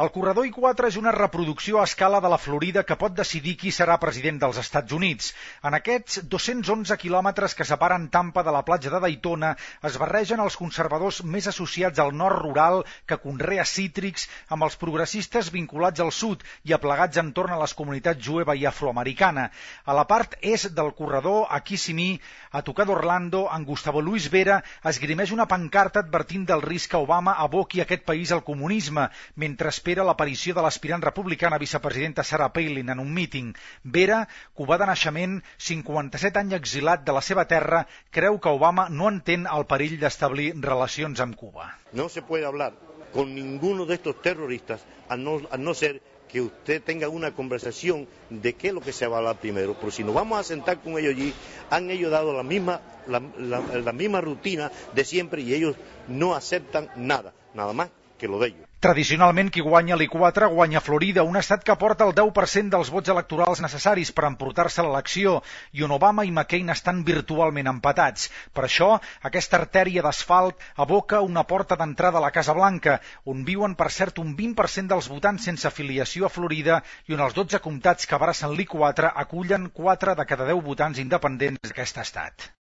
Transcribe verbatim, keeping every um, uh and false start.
El corredor I quatre és una reproducció a escala de la Florida que pot decidir qui serà president dels Estats Units. En aquests dos-cents onze quilòmetres que separen Tampa de la platja de Daytona es barregen els conservadors més associats al nord rural que conrea cítrics amb els progressistes vinculats al sud i aplegats entorn a les comunitats jueva i afroamericana. A la part est del corredor, a Kissimmee, a tocar d'Orlando, en Gustavo Luis Vera esgrimeix una pancarta advertint del risc que Obama aboqui aquest país al comunisme, mentre espera l'aparició de l'aspirant republicana vicepresidenta Sarah Palin en un míting. Vera, cubà de naixement, cinquanta-set anys exilat de la seva terra, creu que Obama no entén el perill d'establir relacions amb Cuba. No se puede hablar con ninguno de estos terroristas a no, a no ser que usted tenga una conversación de qué es lo que se va a hablar primero. Pero si nos vamos a sentar con ellos allí, han ellos dado la misma, la, la, la misma rutina de siempre y ellos no aceptan nada, nada más que lo de ellos. Tradicionalment, qui guanya l'I quatre guanya Florida, un estat que porta el deu per cent dels vots electorals necessaris per emportar-se l'elecció i on Obama i McCain estan virtualment empatats. Per això, aquesta artèria d'asfalt aboca una porta d'entrada a la Casa Blanca, on viuen, per cert, un vint per cent dels votants sense afiliació a Florida i on els dotze comtats que abracen l'I quatre acullen quatre de cada deu votants independents d'aquest estat.